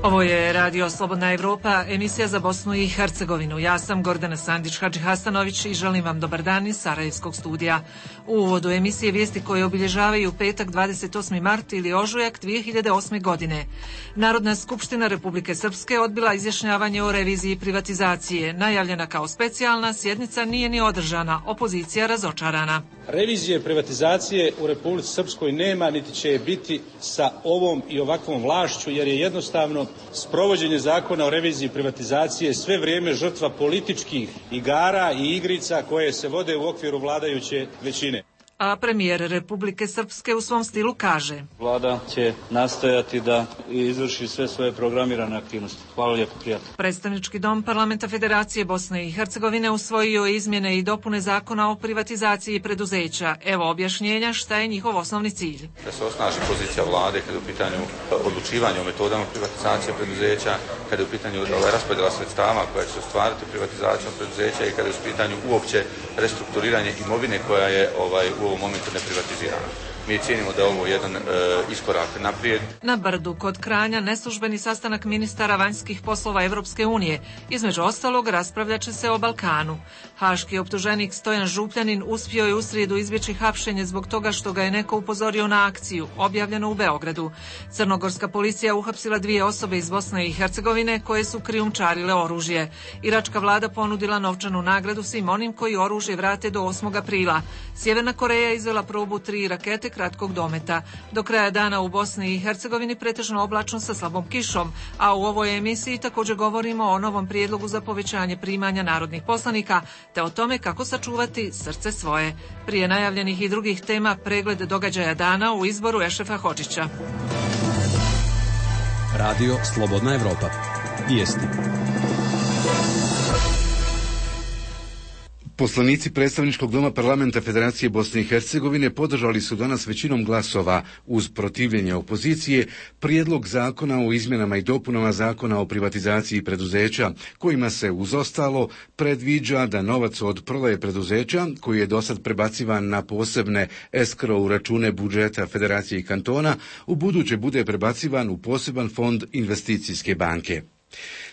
Ovo je Radio Slobodna Evropa, emisija za Bosnu i Hercegovinu. Ja sam Gordana Sandić-Hadžihasanović i želim vam dobar dan iz Sarajevskog studija. U uvodu emisije vijesti koje obilježavaju petak 28. mart ili ožujak 2008. godine. Narodna skupština Republike Srpske odbila izjašnjavanje o reviziji privatizacije. Najavljena kao specijalna, sjednica nije ni održana, opozicija razočarana. Revizije privatizacije u Republici Srpskoj nema, niti će je biti sa ovom i ovakvom vlašću, jer je jednostavno sprovođenje zakona o reviziji privatizacije sve vrijeme žrtva političkih igara i igrica koje se vode u okviru vladajuće većine. A premijer Republike Srpske u svom stilu kaže: Vlada će nastojati da izvrši sve svoje programirane aktivnosti. Hvala lijepo, prijatno. Predstavnički dom Parlamenta Federacije Bosne i Hercegovine usvojio izmjene i dopune zakona o privatizaciji preduzeća. Evo objašnjenja šta je njihov osnovni cilj. Da se osnaži pozicija vlade kada je u pitanju odlučivanja o metodama privatizacije preduzeća, kada je u pitanju raspodjela sredstava koja će se ostvariti privatizacijom preduzeća i kada je u pitanju uopće restrukturiranje imovine koja je u ovom momentu neprivatizirana. Mi cijenimo da je ovo jedan iskorak naprijed. Na Brdu kod Kranja neslužbeni sastanak ministara vanjskih poslova Evropske unije. Između ostalog raspravljat će se o Balkanu. Haški optuženik Stojan Župljanin uspio je u srijedu izbjeći hapšenje zbog toga što ga je neko upozorio na akciju, objavljeno u Beogradu. Crnogorska policija uhapsila 2 osobe iz Bosne i Hercegovine koje su krijumčarile oružje. Iračka vlada ponudila novčanu nagradu svim onim koji oružje vrate do 8. aprila. Sjeverna Koreja izvela probu 3 rakete kratkog dometa. Do kraja dana u Bosni i Hercegovini pretežno oblačno sa slabom kišom, a u ovoj emisiji također govorimo o novom prijedlogu za povećanje primanja narodnih poslanika, te o tome kako sačuvati srce svoje. Prije najavljenih i drugih tema pregled događaja dana u izboru Ešrefa Hodžića. Radio Slobodna Evropa. Vijesti. Poslanici predstavničkog doma Parlamenta Federacije Bosne i Hercegovine podržali su danas većinom glasova uz protivljenje opozicije prijedlog zakona o izmjenama i dopunama zakona o privatizaciji preduzeća, kojima se uz ostalo predviđa da novac od prodaje preduzeća, koji je dosad prebacivan na posebne escrow račune budžeta Federacije i kantona, u buduće bude prebacivan u poseban fond investicijske banke.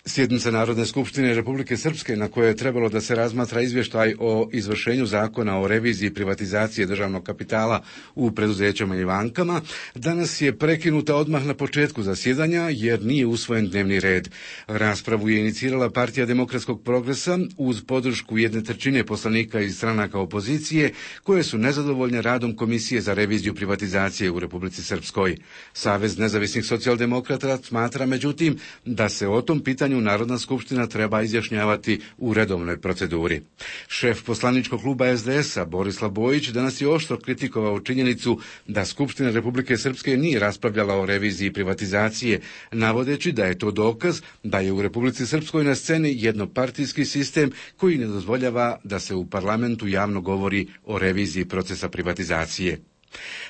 Sjednica Narodne skupštine Republike Srpske, na kojoj je trebalo da se razmatra izvještaj o izvršenju zakona o reviziji privatizacije državnog kapitala u preduzećama i bankama, danas je prekinuta odmah na početku zasjedanja jer nije usvojen dnevni red. Raspravu je inicirala Partija demokratskog progresa uz podršku 1/3 poslanika iz stranaka opozicije koje su nezadovoljne radom Komisije za reviziju privatizacije u Republici Srpskoj. Savez nezavisnih socijaldemokrata smatra međutim da se o tom pitanju Narodna skupština treba izjašnjavati u redovnoj proceduri. Šef poslaničkog kluba SDS-a Borislav Bojić danas je oštro kritikovao činjenicu da Skupština Republike Srpske nije raspravljala o reviziji privatizacije, navodeći da je to dokaz da je u Republici Srpskoj na sceni jednopartijski sistem koji ne dozvoljava da se u parlamentu javno govori o reviziji procesa privatizacije.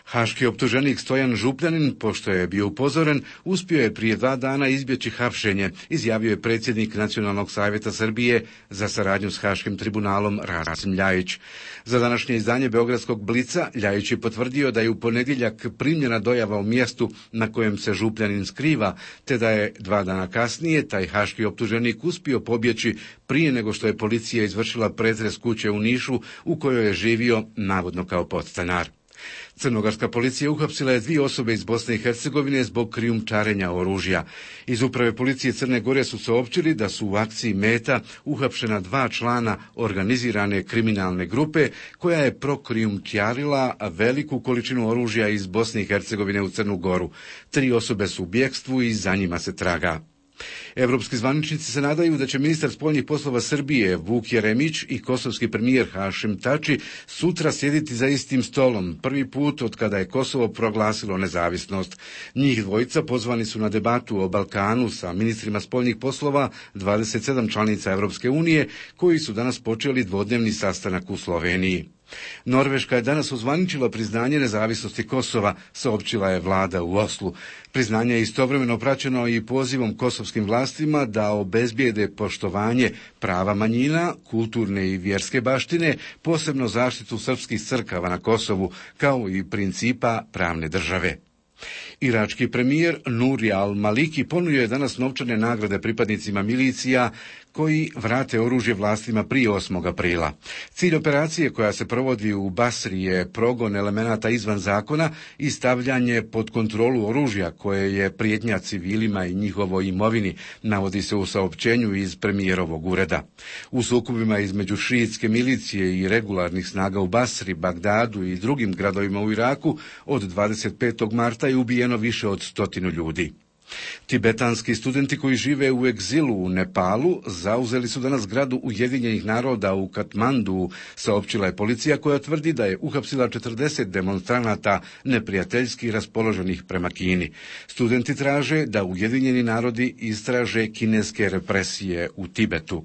Haški optuženik Stojan Župljanin, pošto je bio upozoren, uspio je prije 2 dana izbjeći hapšenje, izjavio je predsjednik Nacionalnog savjeta Srbije za saradnju s Haškim tribunalom Rasim Ljajić. Za današnje izdanje Beogradskog Blica Ljajić je potvrdio da je u ponedjeljak primljena dojava u mjestu na kojem se Župljanin skriva, te da je 2 dana kasnije taj haški optuženik uspio pobjeći prije nego što je policija izvršila pretres kuće u Nišu u kojoj je živio navodno kao podstanar. Crnogorska policija uhapsila je 2 osobe iz Bosne i Hercegovine zbog krijumčarenja oružja. Iz uprave policije Crne Gore su saopćili da su u akciji Meta uhapšena 2 člana organizirane kriminalne grupe koja je prokrijumčarila veliku količinu oružja iz Bosne i Hercegovine u Crnu Goru. 3 osobe su u bjekstvu i za njima se traga. Evropski zvaničnici se nadaju da će ministar spoljnih poslova Srbije Vuk Jeremić i kosovski premijer Hašim Tači sutra sjediti za istim stolom, prvi put od kada je Kosovo proglasilo nezavisnost. Njih dvojica pozvani su na debatu o Balkanu sa ministrima spoljnih poslova 27 članica Evropske unije, koji su danas počeli dvodnevni sastanak u Sloveniji. Norveška je danas ozvaničila priznanje nezavisnosti Kosova, saopćila je vlada u Oslu. Priznanje je istovremeno praćeno i pozivom kosovskim vlastima da obezbijede poštovanje prava manjina, kulturne i vjerske baštine, posebno zaštitu srpskih crkava na Kosovu, kao i principa pravne države. Irački premijer Nuri al-Maliki ponudio je danas novčane nagrade pripadnicima milicija koji vrate oružje vlastima prije 8. aprila. Cilj operacije koja se provodi u Basri je progon elemenata izvan zakona i stavljanje pod kontrolu oružja koje je prijetnja civilima i njihovoj imovini, navodi se u saopćenju iz premijerovog ureda. U sukobima između šiitske milicije i regularnih snaga u Basri, Bagdadu i drugim gradovima u Iraku od 25. marta je ubijeno više od 100 ljudi. Tibetanski studenti koji žive u egzilu u Nepalu zauzeli su danas zgradu Ujedinjenih naroda u Katmandu, saopćila je policija koja tvrdi da je uhapsila 40 demonstranata neprijateljski raspoloženih prema Kini. Studenti traže da Ujedinjeni narodi istraže kineske represije u Tibetu.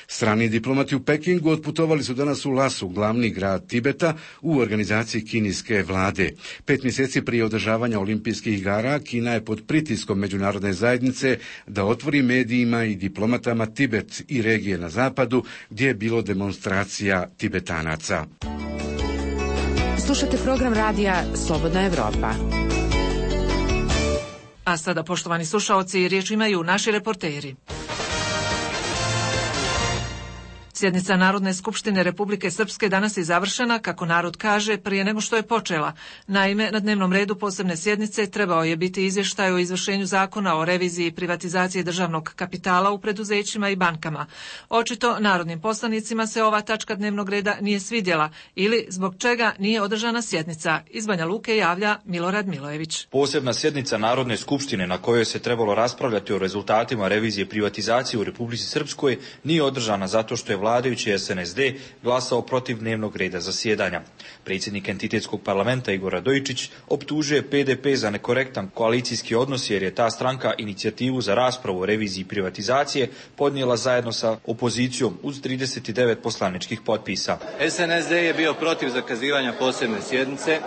Strani diplomati u Pekingu otputovali su danas u Lasu, glavni grad Tibeta, u organizaciji kineske vlade. 5 mjeseci prije održavanja olimpijskih igara, Kina je pod pritiskom međunarodne zajednice da otvori medijima i diplomatama Tibet i regije na zapadu, gdje je bilo demonstracija Tibetanaca. Slušate program radija Slobodna Evropa. A sada, poštovani slušaoci, riječ imaju naši reporteri. Sjednica Narodne skupštine Republike Srpske danas je završena, kako narod kaže, prije nego što je počela. Naime, na dnevnom redu posebne sjednice trebao je biti izvještaj o izvršenju zakona o reviziji i privatizaciji državnog kapitala u preduzećima i bankama. Očito narodnim poslanicima se ova tačka dnevnog reda nije svidjela ili zbog čega nije održana sjednica. Iz Banja Luke javlja Milorad Milojević. Posebna sjednica Narodne skupštine na kojoj se trebalo raspravljati o rezultatima revizije privatizacije u Republici Srpskoj nije održana zato što je vladajući SNSD glasao protiv dnevnog reda zasjedanja. Predsjednik entitetskog parlamenta Igor Radojičić optužuje PDP za nekorektan koalicijski odnos jer je ta stranka inicijativu za raspravu o reviziji privatizacije podnijela zajedno sa opozicijom uz 39 poslaničkih potpisa. SNSD je bio protiv zakazivanja posebne sjednice.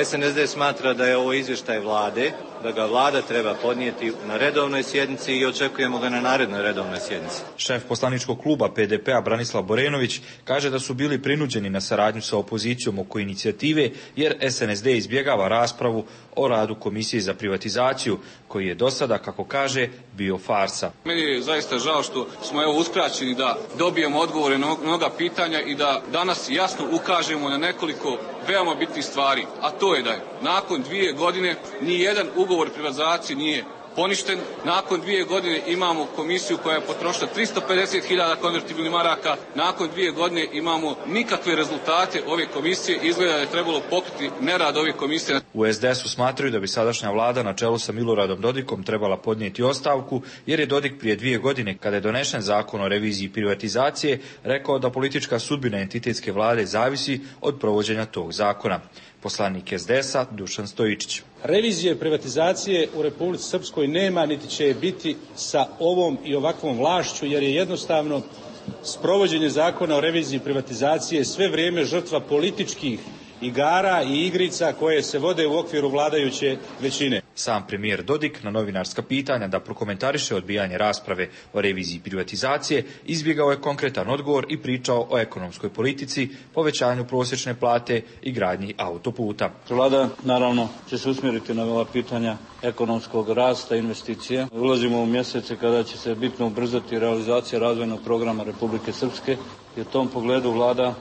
SNSD smatra da je ovo izvještaj vlade, da ga vlada treba podnijeti na redovnoj sjednici i očekujemo ga na narednoj redovnoj sjednici. Šef poslaničkog kluba PDP-a Branislav Borenović kaže da su bili prinuđeni na saradnju sa opozicijom oko inicijative jer SNSD izbjegava raspravu o radu Komisije za privatizaciju koji je do sada, kako kaže, bio farsa. Meni je zaista žao što smo uskraćeni da dobijemo odgovore na mnoga pitanja i da danas jasno ukažemo na nekoliko veoma bitnih stvari, a to je da je nakon 2 godine ni jedan ugovor privatizacije nije poništen. Nakon 2 godine imamo komisiju koja je potrošila 350.000 konvertibilnih maraka. Nakon 2 godine imamo nikakve rezultate ove komisije. Izgleda da je trebalo pokriti nerad ove komisije. U SDS-u smatraju da bi sadašnja vlada na čelu sa Miloradom Dodikom trebala podnijeti ostavku, jer je Dodik prije 2 godine, kada je donešen zakon o reviziji privatizacije, rekao da politička sudbina entitetske vlade zavisi od provođenja tog zakona. Poslanik SDS-a Dušan Stojičić. Revizije privatizacije u Republici Srpskoj nema niti će je biti sa ovom i ovakvom vlašću, jer je jednostavno sprovođenje zakona o reviziji privatizacije sve vrijeme žrtva političkih igara i igrica koje se vode u okviru vladajuće većine. Sam premijer Dodik na novinarska pitanja da prokomentariše odbijanje rasprave o reviziji privatizacije izbjegao je konkretan odgovor i pričao o ekonomskoj politici, povećanju prosječne plate i gradnji autoputa. Vlada naravno će se usmjeriti na ova pitanja ekonomskog rasta, investicije. Ulazimo u mjesece kada će se bitno ubrzati realizacija razvojnog programa Republike Srpske i u tom pogledu vlada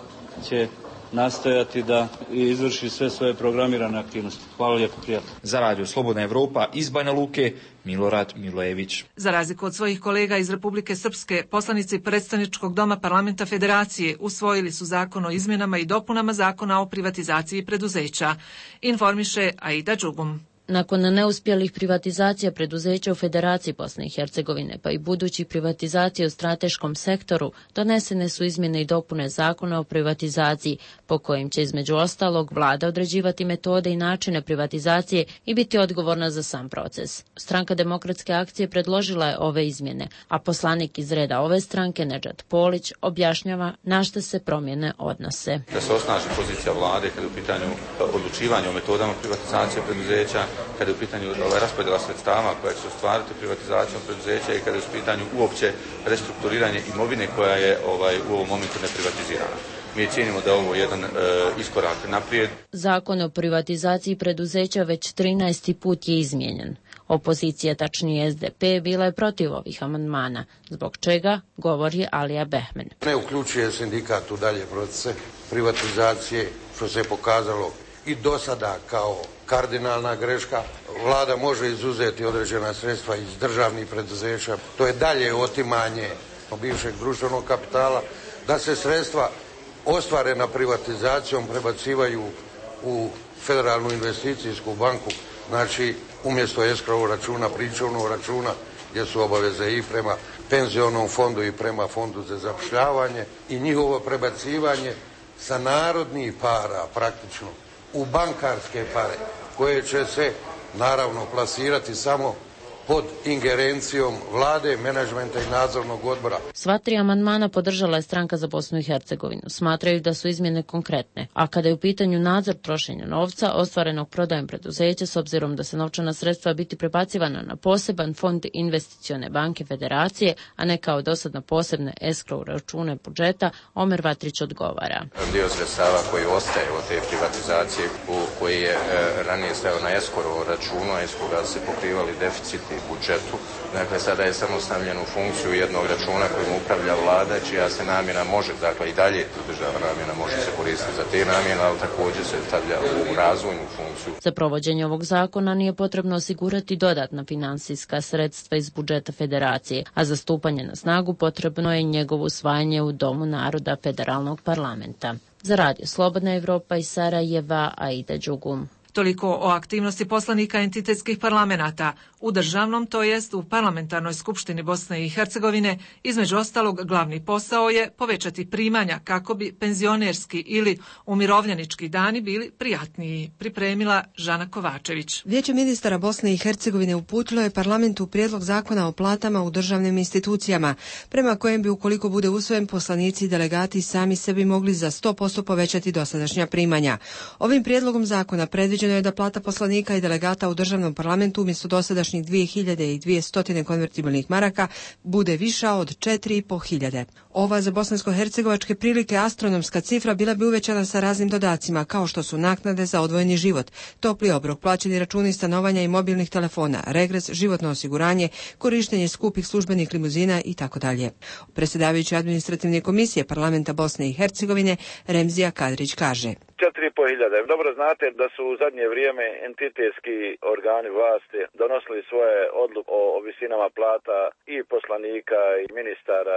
će nastojati da izvrši sve svoje programirane aktivnosti. Hvala lijepo, prijatno. Za Radio Slobodna Evropa iz Banja Luke, Milorad Milojević. Za razliku od svojih kolega iz Republike Srpske, poslanici predstavničkog doma parlamenta Federacije usvojili su zakon o izmjenama i dopunama zakona o privatizaciji preduzeća. Informiše Aida Đugum. Nakon neuspjelih privatizacija preduzeća u Federaciji Bosne i Hercegovine, pa i budućih privatizacija u strateškom sektoru, donesene su izmjene i dopune zakona o privatizaciji, po kojim će između ostalog vlada određivati metode i načine privatizacije i biti odgovorna za sam proces. Stranka Demokratske akcije predložila je ove izmjene, a poslanik iz reda ove stranke, Nedžad Polić, objašnjava na šta se promjene odnose. Da se osnaži pozicija vlade kada je u pitanju odlučivanja o metodama privatizacije preduzeća, kada je u pitanju raspodjela sredstava koja će se ostvariti privatizacijom preduzeća i kada je u pitanju uopće restrukturiranje imovine koja je u ovom momentu neprivatizirana. Mi cijenimo da je ovo jedan iskorak naprijed. Zakon o privatizaciji preduzeća već 13. put je izmijenjen. Opozicija, tačnije SDP, bila je protiv ovih amandmana, zbog čega govori Alija Behmen. Ne uključuje sindikat u dalje procese privatizacije, što se je pokazalo i do sada kao kardinalna greška. Vlada može izuzeti određena sredstva iz državnih preduzeća. To je dalje otimanje bivšeg društvenog kapitala, da se sredstva ostvarena privatizacijom prebacivaju u Federalnu investicijsku banku, znači umjesto escrow računa, pričuvnog računa, gdje su obaveze i prema penzionom fondu i prema fondu za zapošljavanje i njihovo prebacivanje sa narodnih para praktično u bankarske pare, koje će se naravno plasirati samo pod ingerencijom vlade, menadžmenta i nadzornog odbora. Sva 3 amandmana podržala je Stranka za Bosnu i Hercegovinu. Smatraju da su izmjene konkretne, a kada je u pitanju nadzor trošenja novca ostvarenog prodajom preduzeća, s obzirom da se novčana sredstva biti prebacivana na poseban fond investicione banke Federacije, a ne kao dosad na posebne escrow račune budžeta, Omer Vatrić odgovara. Dio sredstava koji ostaje od te privatizacije, koji je ranije stajao na escrow računu, a iz koga se pokrivali deficiti budžetu. Dakle, sada je samo stavljen u funkciju jednog računa kojim upravlja vlada, čija se namjena može, dakle i dalje državna namjena može se koristiti za te namjene, ali također se stavlja u razvojnu funkciju. Za provođenje ovog zakona nije potrebno osigurati dodatna finansijska sredstva iz budžeta Federacije, a za stupanje na snagu potrebno je njegovo usvajanje u Domu naroda Federalnog parlamenta. Za Radio Slobodna Evropa iz Sarajeva, Aida Đugum. Toliko o aktivnosti poslanika entitetskih parlamenata u državnom, to jest u parlamentarnoj skupštini Bosne i Hercegovine. Između ostalog, glavni posao je povećati primanja kako bi penzionerski ili umirovljenički dani bili prijatniji, pripremila Žana Kovačević. Vijeće ministara Bosne i Hercegovine uputilo je parlamentu prijedlog zakona o platama u državnim institucijama, prema kojem bi, ukoliko bude usvojen, poslanici i delegati sami sebi mogli za 100% povećati dosadašnja primanja. Ovim prijedlogom zakona predviđeno je da plata poslanika i delegata u državnom parlamentu umjesto dosadašnjih 2200 konvertibilnih maraka bude viša od 4500. Ova za bosansko-hercegovačke prilike astronomska cifra bila bi uvećana sa raznim dodacima, kao što su naknade za odvojeni život, topli obrok, plaćeni računi stanovanja i mobilnih telefona, regres, životno osiguranje, korištenje skupih službenih limuzina itd. Predsjedavajući administrativne komisije parlamenta Bosne i Hercegovine Remzija Kadrić kaže: 4.500. Dobro znate da su u zadnje vrijeme entitetski organi vlasti donosili svoje odluke o visinama plata i poslanika i ministara.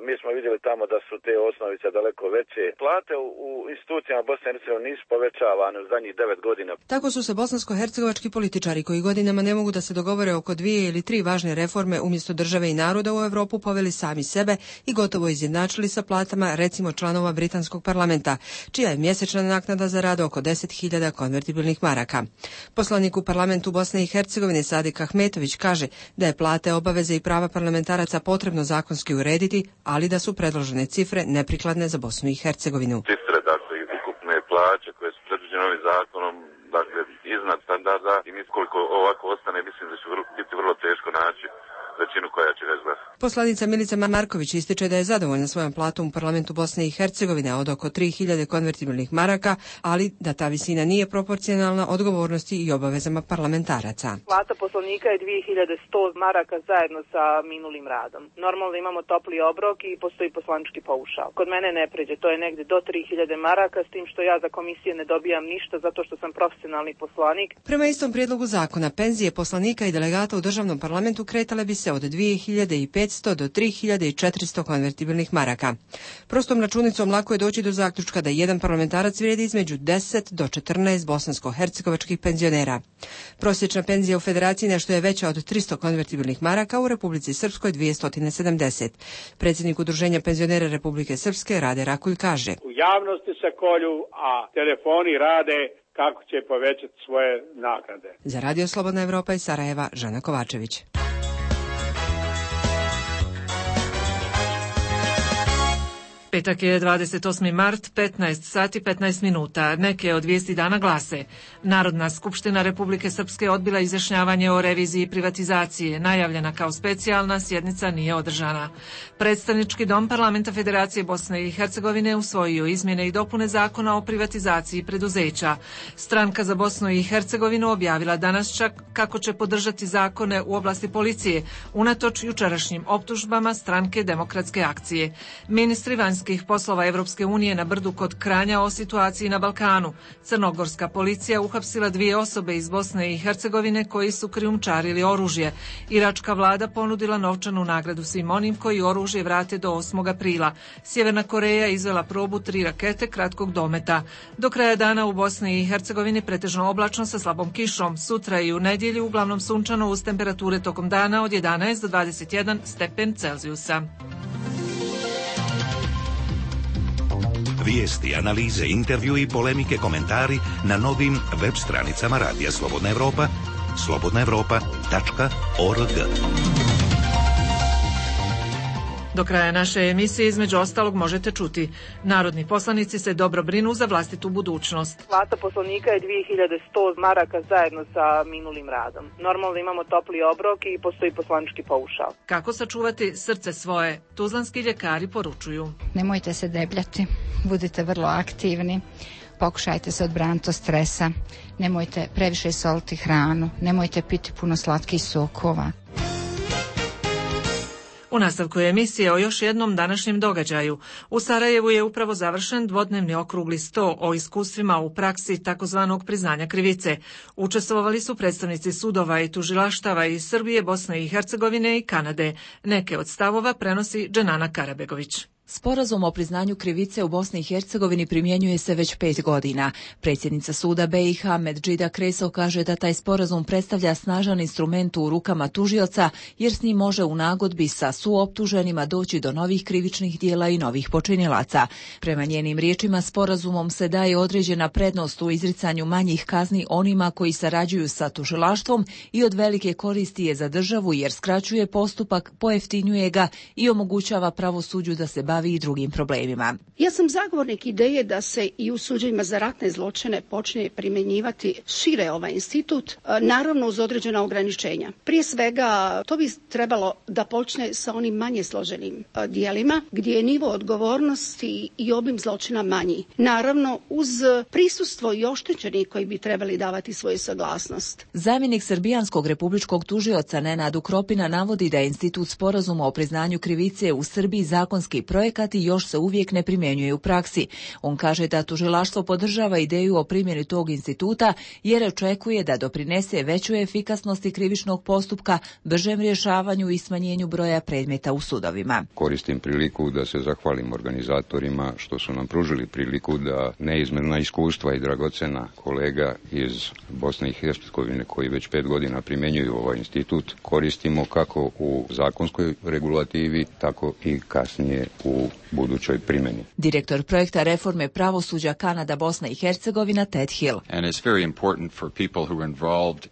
Mi smo vidjeli tamo da su te osnovice daleko veće. Plate u institucijama Bosne i Hercegovine nisu povećavane u zadnjih 9 godina. Tako su se bosansko-hercegovački političari koji godinama ne mogu da se dogovore oko 2 ili 3 važne reforme umjesto države i naroda u Europu poveli sami sebe i gotovo izjednačili sa platama recimo članova britanskog parlamenta, čija je mjesečna naknada za rad oko 10.000 konvertibilnih maraka. Poslanik u parlamentu Bosne i Hercegovine Sadik Ahmetović kaže da je plate, obaveze i prava parlamentaraca potrebno zakonski urediti, ali da su predložene cifre neprikladne za Bosnu i Hercegovinu. Cifre, dakle, ukupne plaće koje su predviđene ovim zakonom, dakle, iznad standarda i koliko ovako ostane, mislim da će biti vrlo teško naći većinu koja će ga izglasati. Poslanica Milica Marković ističe da je zadovoljna svojom platom u parlamentu Bosne i Hercegovine od oko 3.000 konvertibilnih maraka, ali da ta visina nije proporcionalna odgovornosti i obavezama parlamentaraca. Plata poslanika je 2.100 maraka zajedno sa minulim radom. Normalno imamo topli obrok i postoji poslanički paušal. Kod mene ne pređe, to je negdje do 3.000 maraka, s tim što ja za komisije ne dobijam ništa zato što sam profesionalni poslanik. Prema istom prijedlogu zakona, penzije poslanika i delegata u državnom parlamentu kretale bi se od 2.500 2500 do 3400 konvertibilnih maraka. Prostom računicom lako je doći do zaključka da jedan parlamentarac vrijedi između 10 do 14 bosansko-hercegovačkih penzionera. Prosječna penzija u Federaciji nešto je veća od 300 konvertibilnih maraka, u Republici Srpskoj 270. Predsjednik Udruženja penzionera Republike Srpske Rade Rakulj kaže: u javnosti se kolju, a telefoni rade kako će povećati svoje naknade. Za Radio Slobodna Evropa iz Sarajeva, Žana Kovačević. Petak je 28. mart, 15 sati 15 minuta. Neke od vijesti dana glase: Narodna skupština Republike Srpske odbila izjašnjavanje o reviziji privatizacije. Najavljena kao specijalna sjednica nije održana. Predstavnički dom Parlamenta Federacije Bosne i Hercegovine usvojio izmjene i dopune zakona o privatizaciji preduzeća. Stranka za Bosnu i Hercegovinu objavila danas čak kako će podržati zakone u oblasti policije, unatoč jučerašnjim optužbama stranke Demokratske akcije. Ministri vanjskih poslova Evropske unije na Brdu kod Kranja o situaciji na Balkanu. Crnogorska policija uhapsila 2 osobe iz Bosne i Hercegovine koji su krijumčarili oružje. Iračka vlada ponudila novčanu nagradu svim onim koji oružje vrate do 8. aprila. Sjeverna Koreja izvela probu 3 rakete kratkog dometa. Do kraja dana u Bosni i Hercegovini pretežno oblačno sa slabom kišom. Sutra i u nedjelju uglavnom sunčano uz temperature tokom dana od 11 do 21 stepen Celzijusa. Vijesti, analize, intervju i polemike, komentari na novim web stranicama Radija Slobodna Evropa, slobodnaevropa.org. Do kraja naše emisije između ostalog možete čuti: narodni poslanici se dobro brinu za vlastitu budućnost. Plata poslanika je 2100 maraka zajedno sa minulim radom. Normalno imamo topli obrok i postoji poslanički paušal. Kako sačuvati srce svoje? Tuzlanski ljekari poručuju: nemojte se debljati, budite vrlo aktivni. Pokušajte se odbraniti od stresa. Nemojte previše soliti hranu. Nemojte piti puno slatkih sokova. U nastavku emisije o još jednom današnjem događaju. U Sarajevu je upravo završen dvodnevni okrugli sto o iskustvima u praksi takozvanog priznanja krivice. Učestvovali su predstavnici sudova i tužilaštava iz Srbije, Bosne i Hercegovine i Kanade. Neke od stavova prenosi Dženana Karabegović. Sporazum o priznanju krivice u Bosni i Hercegovini primjenjuje se već 5 godina. Predsjednica suda BiH Medžida Kreso kaže da taj sporazum predstavlja snažan instrument u rukama tužioca, jer s njim može u nagodbi sa suoptuženima doći do novih krivičnih dijela i novih počinilaca. Prema njenim riječima, sporazumom se daje određena prednost u izricanju manjih kazni onima koji sarađuju sa tužilaštvom i od velike koristi je za državu, jer skraćuje postupak, pojeftinjuje ga i omogućava pravosuđu da se bavi i drugim problemima. Ja sam zagovornik ideje da se i u suđenjima za ratne zločine počne primjenjivati šire ovaj institut, naravno uz određena ograničenja. Prije svega, to bi trebalo da počne sa onim manje složenim dijelima, gdje je nivo odgovornosti i obim zločina manji. Naravno, uz prisustvo i oštećenih koji bi trebali davati svoju saglasnost. Zamjenik srbijanskog republičkog tužioca Nenad Ukropina navodi da je institut sporazuma o priznanju krivice u Srbiji zakonski projekat i još se uvijek ne primjenjuje u praksi. On kaže da tužilaštvo podržava ideju o primjeni tog instituta jer očekuje da doprinese većoj efikasnosti krivičnog postupka, bržem rješavanju i smanjenju broja predmeta u sudovima. Koristim priliku da se zahvalim organizatorima što su nam pružili priliku da neizmjerna iskustva i dragocena kolega iz Bosne i Hercegovine koji već 5 godina primjenjuju ovaj institut koristimo kako u zakonskoj regulativi, tako i kasnije u budućoj primjeni. Direktor projekta reforme pravosuđa Kanada, Bosna i Hercegovina Ted Hill.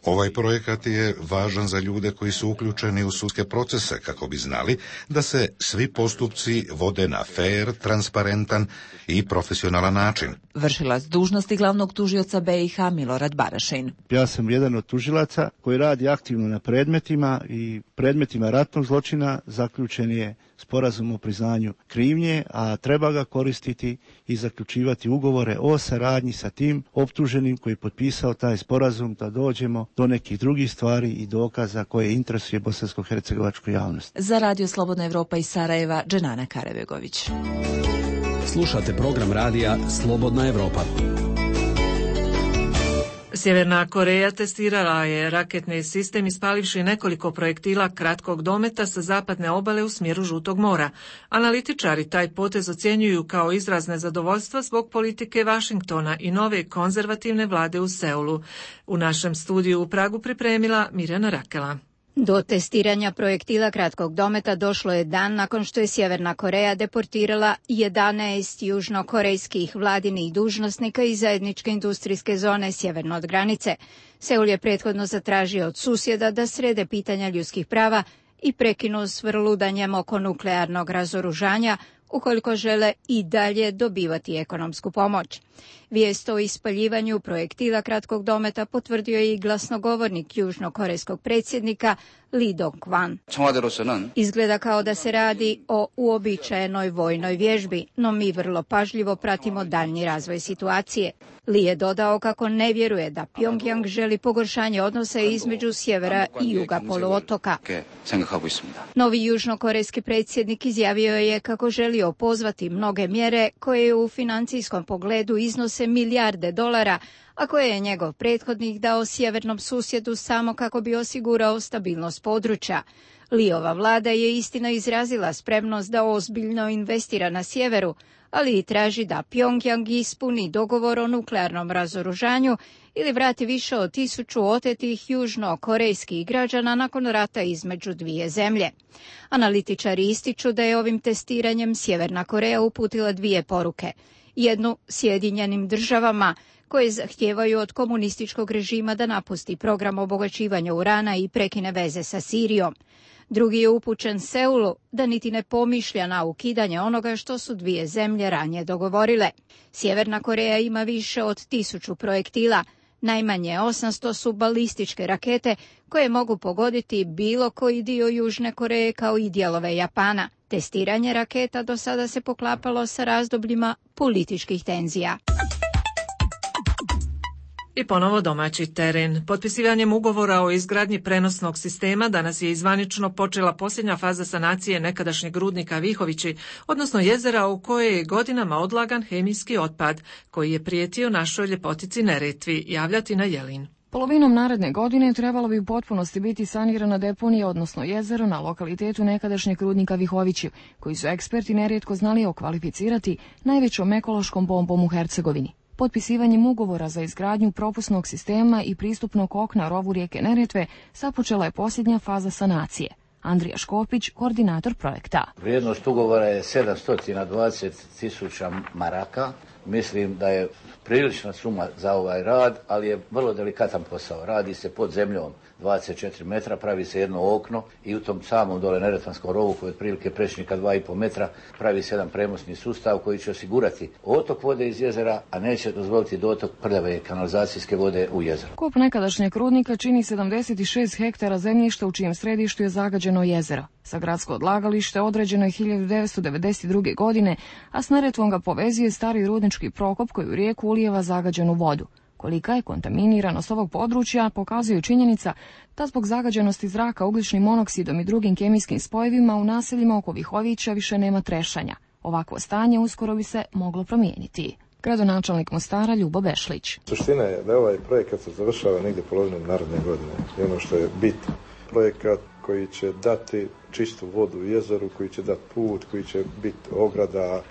Ovaj projekat je važan za ljude koji su uključeni u sudske procese kako bi znali da se svi postupci vode na fair, transparentan i profesionalan način. Vršilac dužnosti glavnog tužioca BiH Milorad Barašin. Ja sam jedan od tužilaca koji radi aktivno na predmetima i predmetima ratnog zločina zaključen je sporazum o priznanju krivnje, a treba ga koristiti i zaključivati ugovore o saradnji sa tim optuženim koji je potpisao taj sporazum da dođemo do nekih drugih stvari i dokaza koje interesuje bosansko-hercegovačku javnost. Za Radio Slobodna Evropa iz Sarajeva, Dženana Karabegović. Slušate program radija Slobodna Evropa. Sjeverna Koreja testirala je raketni sistem ispalivši nekoliko projektila kratkog dometa sa zapadne obale u smjeru Žutog mora. Analitičari taj potez ocjenjuju kao izraz nezadovoljstva zbog politike Vašingtona i nove konzervativne vlade u Seulu. U našem studiju u Pragu pripremila Mirjana Rakela. Do testiranja projektila kratkog dometa došlo je dan nakon što je Sjeverna Koreja deportirala 11 južnokorejskih vladinih dužnosnika iz zajedničke industrijske zone sjeverno od granice. Seul je prethodno zatražio od susjeda da srede pitanja ljudskih prava i prekinu s vrludanjem oko nuklearnog razoružanja ukoliko žele i dalje dobivati ekonomsku pomoć. Vijest o ispaljivanju projektila kratkog dometa potvrdio je i glasnogovornik južnokorejskog predsjednika Lee Dong-kwan. Izgleda kao da se radi o uobičajenoj vojnoj vježbi, no mi vrlo pažljivo pratimo daljnji razvoj situacije. Lee je dodao kako ne vjeruje da Pjongjang želi pogoršanje odnosa između sjevera i juga poluotoka. Novi južnokorejski predsjednik izjavio je kako želi opozvati mnoge mjere koje u financijskom pogledu iznose milijarde dolara, a koje je njegov prethodnik dao sjevernom susjedu samo kako bi osigurao stabilnost područja. Liova vlada je istina izrazila spremnost da ozbiljno investira na sjeveru, ali i traži da Pjongjang ispuni dogovor o nuklearnom razoružanju ili vrati više od 1000 otetih južnokorejskih građana nakon rata između dvije zemlje. Analitičari ističu da je ovim testiranjem Sjeverna Koreja uputila dvije poruke. Jednu Sjedinjenim državama, koje zahtijevaju od komunističkog režima da napusti program obogaćivanja urana i prekine veze sa Sirijom. Drugi je upućen Seulu da niti ne pomišlja na ukidanje onoga što su dvije zemlje ranije dogovorile. Sjeverna Koreja ima više od 1000 projektila, najmanje 800 su balističke rakete koje mogu pogoditi bilo koji dio Južne Koreje kao i dijelove Japana. Testiranje raketa do sada se poklapalo sa razdobljima političkih tenzija. I ponovo domaći teren. Potpisivanjem ugovora o izgradnji prenosnog sistema danas je izvanično počela posljednja faza sanacije nekadašnjeg rudnika Vihovići, odnosno jezera u koje je godinama odlagan hemijski otpad, koji je prijetio našoj ljepotici Neretvi, javlja Tina Jelin. Polovinom naredne godine trebalo bi u potpunosti biti sanirana deponija, odnosno jezero na lokalitetu nekadašnjeg rudnika Vihovići, koji su eksperti nerijetko znali okvalificirati najvećom ekološkom bombom u Hercegovini. Potpisivanjem ugovora za izgradnju propusnog sistema i pristupnog okna rovu rijeke Neretve započela je posljednja faza sanacije. Andrija Škopić, koordinator projekta. Vrijednost ugovora je 720.000 maraka. Mislim da je prilična suma za ovaj rad, ali je vrlo delikatan posao. Radi se pod zemljom 24 metra, pravi se jedno okno i u tom samom dole Neretvanskom rovu koji je otprilike prečnika 2,5 metra pravi se jedan premosni sustav koji će osigurati otok vode iz jezera, a neće dozvoliti dotok prljave kanalizacijske vode u jezero. Kop nekadašnjeg rudnika čini 76 hektara zemljišta u čijem središtu je zagađeno jezero. Sa gradsko odlagalište određeno je 1992. godine, a s Neretvom ga povezuje stari rudnički prokop koji u rijeku ulijeva zagađenu vodu. Kolika je kontaminiranost ovog područja pokazuje činjenica da zbog zagađenosti zraka ugljičnim monoksidom i drugim kemijskim spojevima u naseljima oko Vihovića više nema trešanja. Ovakvo stanje uskoro bi se moglo promijeniti. Gradonačelnik Mostara Ljubo Bešlić. Suština je da ovaj projekat se završava negdje polovinom naredne godine. I ono što je bit, projekat koji će dati čistu vodu u jezeru, koji će dati put, koji će biti ograda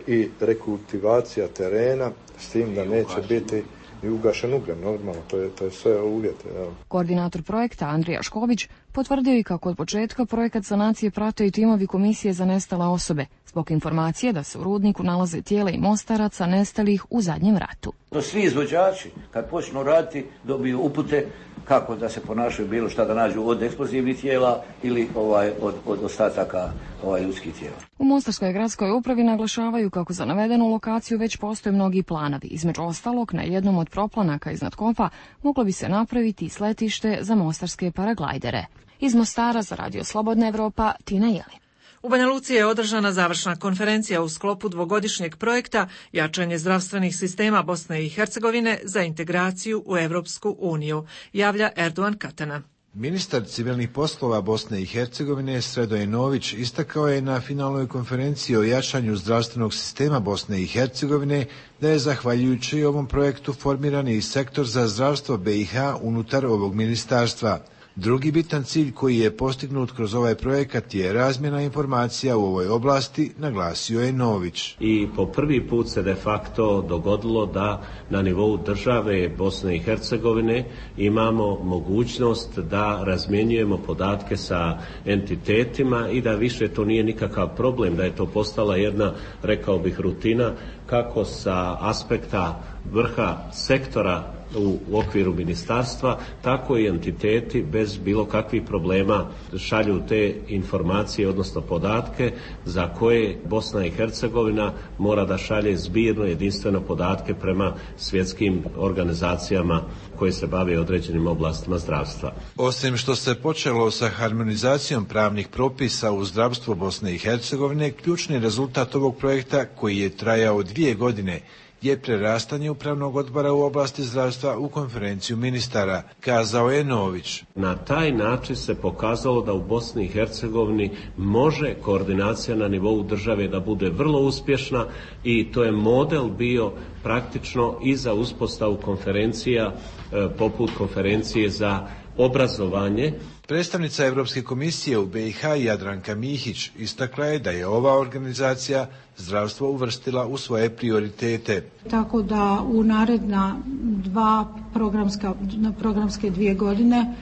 i rekultivacija terena, s tim da neće biti i ugašen ugljen, normalno, to je sve uvjete. Ja. Koordinator projekta Andrija Šković potvrdio i kako od početka projekat sanacije prate i timovi komisije za nestale osobe, zbog informacije da se u rudniku nalaze tijela i mostaraca nestalih u zadnjem ratu. Svi izvođači, kad počnu raditi, dobiju upute kako da se ponašaju, bilo šta da nađu od eksplozivnih tijela ili od ostataka ljudskih tijela. U Mostarskoj gradskoj upravi naglašavaju kako za navedenu lokaciju već postoje mnogi planovi. Između ostalog, na jednom od proplanaka iznad kopa moglo bi se napraviti sletište za mostarske paraglajdere. Iz Mostara za Radio Slobodna Evropa, Tina Jelin. U Banja Luci je održana završna konferencija u sklopu dvogodišnjeg projekta Jačanje zdravstvenih sistema Bosne i Hercegovine za integraciju u Europsku uniju, javlja Erdogan Katana. Ministar civilnih poslova Bosne i Hercegovine Sredoje Nović istakao je na finalnoj konferenciji o jačanju zdravstvenog sistema Bosne i Hercegovine da je zahvaljujući ovom projektu formiran i sektor za zdravstvo BiH unutar ovog ministarstva. Drugi bitan cilj koji je postignut kroz ovaj projekat je razmjena informacija u ovoj oblasti, naglasio je Nović. I po prvi put se de facto dogodilo da na nivou države Bosne i Hercegovine imamo mogućnost da razmjenjujemo podatke sa entitetima i da više to nije nikakav problem, da je to postala jedna, rekao bih, rutina kako sa aspekta vrha sektora u okviru ministarstva, tako i entiteti bez bilo kakvih problema šalju te informacije, odnosno podatke za koje Bosna i Hercegovina mora da šalje zbirno, jedinstveno podatke prema svjetskim organizacijama koje se bave određenim oblastima zdravstva. Osim što se počelo sa harmonizacijom pravnih propisa u zdravstvu Bosne i Hercegovine, ključni rezultat ovog projekta, koji je trajao 2 godine, je prerastanje upravnog odbora u oblasti zdravstva u konferenciju ministara, kazao je Nović. Na taj način se pokazalo da u Bosni i Hercegovini može koordinacija na nivou države da bude vrlo uspješna i to je model bio praktično i za uspostavu konferencija poput konferencije za obrazovanje. Predstavnica Europske komisije u BiH Jadranka Mihić istakla je da je ova organizacija zdravstvo uvrstila u svoje prioritete. Tako da u naredna programske 2 godine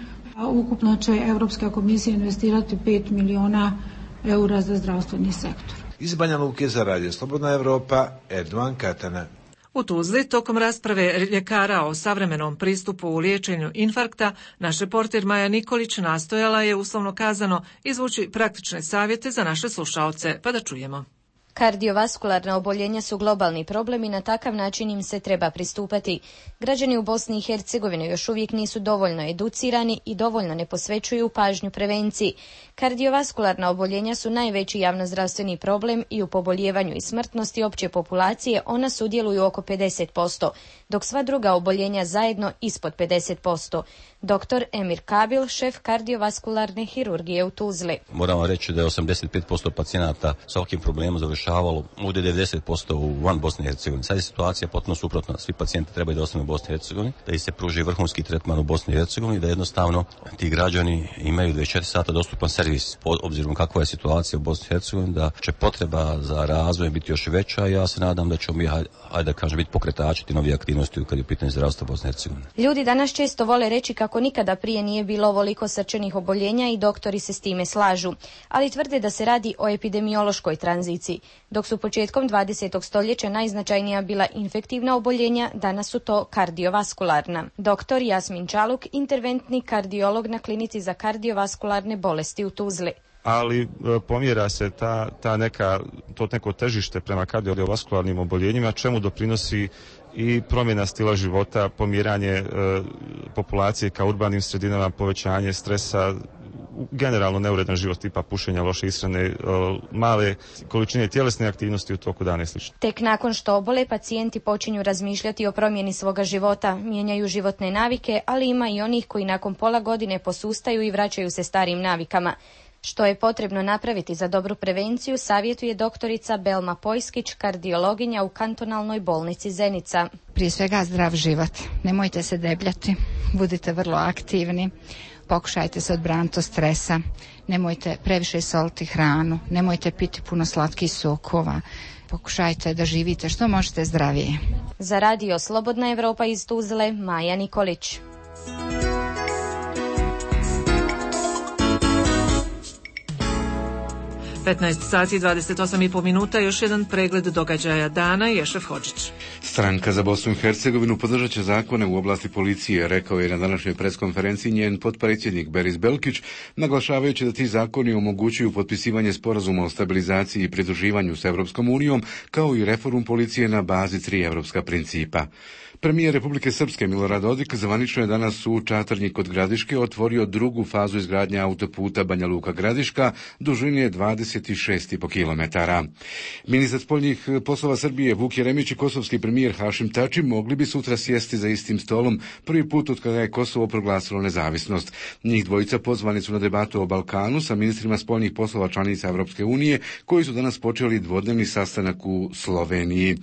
ukupno će Europska komisija investirati 5 miliona eura za zdravstveni sektor. Iz Banja Luke za Radio Slobodna Evropa, Erdogan Katana. U Tuzli, tokom rasprave ljekara o savremenom pristupu u liječenju infarkta, naš reporter Maja Nikolić nastojala je, uslovno kazano, izvući praktične savjete za naše slušaoce, pa da čujemo. Kardiovaskularna oboljenja su globalni problem i na takav način im se treba pristupati. Građani u Bosni i Hercegovini još uvijek nisu dovoljno educirani i dovoljno ne posvećuju pažnju prevenciji. Kardiovaskularna oboljenja su najveći javnozdravstveni problem i u poboljevanju i smrtnosti opće populacije ona sudjeluju oko 50%, dok sva druga oboljenja zajedno ispod 50%. Dr. Emir Kabil, šef kardiovaskularne hirurgije u Tuzli. Moramo reći da je 85% pacijenata sa ovakvim problemom završavalo ovdje 90% u van Bosne i Hercegovine. Sad je situacija potpuno suprotna. Svi pacijenti trebaju da ostanu u Bosni i Hercegovini, da ih se pruži vrhunski tretman u Bosni i Hercegovini, da jednostavno ti građani imaju 24 sata dostupan servis. Obzirom kakva je situacija u Bosni i Hercegovini, da će potreba za razvoj biti još veća i ja se nadam da ćemo mi, biti pokretači ti novih aktivnosti kad je u pitanju zdravstva Bosne i Hercegovine. Ljudi danas često vole reći kako nikada prije nije bilo ovoliko srčanih oboljenja i doktori se s time slažu, ali tvrde da se radi o epidemiološkoj tranziciji. Dok su početkom 20. stoljeća najznačajnija bila infektivna oboljenja, danas su to kardiovaskularna. Doktor Jasmin Čaluk, interventni kardiolog na klinici za kardiovaskularne bolesti u Tuzli. Ali pomjera se to neko težište prema kardiovaskularnim oboljenjima, čemu doprinosi i promjena stila života, pomjeranje populacije ka urbanim sredinama, povećanje stresa, generalno neuredan život tipa pušenja, loše ishrane, male količine tjelesne aktivnosti u toku dana i sl. Tek nakon što obole, pacijenti počinju razmišljati o promjeni svoga života, mijenjaju životne navike, ali ima i onih koji nakon pola godine posustaju i vraćaju se starim navikama. Što je potrebno napraviti za dobru prevenciju, savjetuje doktorica Belma Pojskić, kardiologinja u kantonalnoj bolnici Zenica. Prije svega zdrav život. Nemojte se debljati, budite vrlo aktivni, pokušajte se odbraniti od stresa, nemojte previše soliti hranu, nemojte piti puno slatkih sokova, pokušajte da živite što možete zdravije. Za Radio Slobodna Evropa iz Tuzle, Maja Nikolić. 15 sati i 28,5 minuta, još jedan pregled događaja dana, Ješef Hodžić. Stranka za Bosnu i Hercegovinu podržat će zakone u oblasti policije, rekao je na današnjoj preskonferenciji njen potpredsjednik Beris Belkić, naglašavajući da ti zakoni omogućuju potpisivanje sporazuma o stabilizaciji i pridruživanju s Europskom unijom, kao i reformu policije na bazi 3 europska principa. Premijer Republike Srpske Milorad Dodik zvanično je danas u Čatrnji kod Gradiške otvorio drugu fazu izgradnje autoputa Banja Luka-Gradiška dužine 26,5 km. Ministar spoljnih poslova Srbije Vuk Jeremić i kosovski premijer Hašim Tači mogli bi sutra sjesti za istim stolom, prvi put od kada je Kosovo proglasilo nezavisnost. Njih dvojica pozvani su na debatu o Balkanu sa ministrima spoljnih poslova članica Evropske unije, koji su danas počeli dvodnevni sastanak u Sloveniji.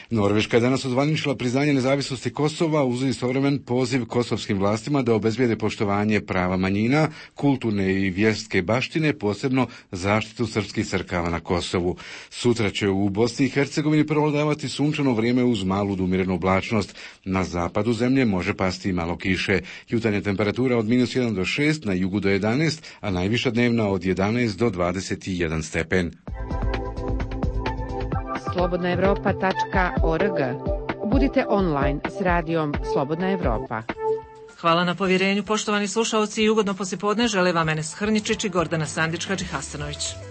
Norveška je danas ozvaničila priznanje nezavisnosti Kosova uz istovremen poziv kosovskim vlastima da obezbijede poštovanje prava manjina, kulturne i vjerske baštine, posebno zaštitu srpskih crkava na Kosovu. Sutra će u Bosni i Hercegovini prevladavati sunčano vrijeme uz malu do umjerenu oblačnost. Na zapadu zemlje može pasti i malo kiše. Jutarnja temperatura od -1 do 6, na jugu do 11, a najviša dnevna od 11 do 21 stepen. slobodnaevropa.org. Budite online s radijom Slobodna Evropa. Hvala na povjerenju, poštovani slušalci, i ugodno poslijepodne žele vam Enes Hrničić i Gordana Sandić-Hadžihasanović.